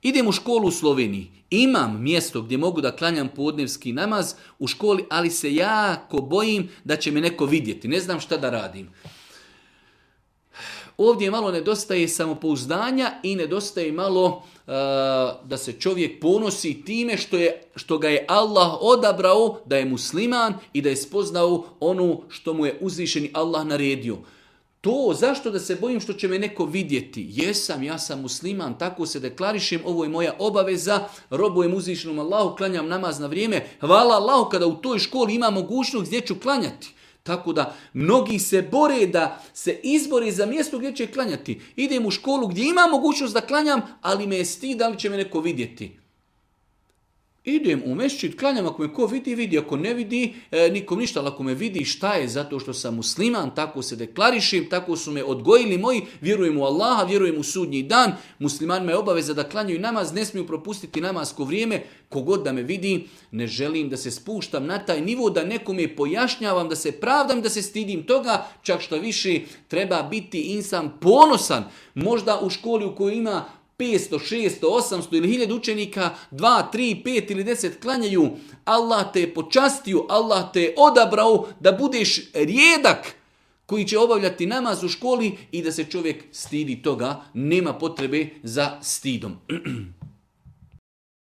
Idem u školu u Sloveniji. Imam mjesto gdje mogu da klanjam podnevski namaz u školi, ali se jako bojim da će me neko vidjeti. Ne znam šta da radim. Ovdje malo nedostaje samopouzdanja i nedostaje malo da se čovjek ponosi time što ga je Allah odabrao da je musliman i da je spoznao ono što mu je uzvišeni Allah naredio. To, zašto da se bojim što će me neko vidjeti? Ja sam musliman, tako se deklarišem, ovo je moja obaveza, robujem uzvišenom Allahu, klanjam namaz na vrijeme. Hvala Allahu kada u toj školi ima mogućnost gdje ću klanjati. Tako da mnogi se bore da se izbore za mjesto gdje će klanjati. Idem u školu gdje ima mogućnost da klanjam, ali me je stid da li će me neko vidjeti. Idem u mešćid, klanjam, ako me ko vidi, ako ne vidi, nikom ništa, ali ako me vidi, šta je? Zato što sam musliman, tako se deklarišem, tako su me odgojili moji, vjerujem u Allaha, vjerujem u sudnji dan, muslimanima je obaveza da klanjaju namaz, ne smiju propustiti namazko vrijeme, kogod da me vidi, ne želim da se spuštam na taj nivo, da nekome pojašnjavam, da se pravdam, da se stidim toga, čak što više treba biti insan ponosan, možda u školi u kojoj ima 500, 600, 800 ili 1000 učenika, 2, 3, 5 ili 10 klanjaju, Allah te je počastio, Allah te je odabrao da budeš rijedak koji će obavljati namaz u školi i da se čovjek stidi toga, nema potrebe za stidom.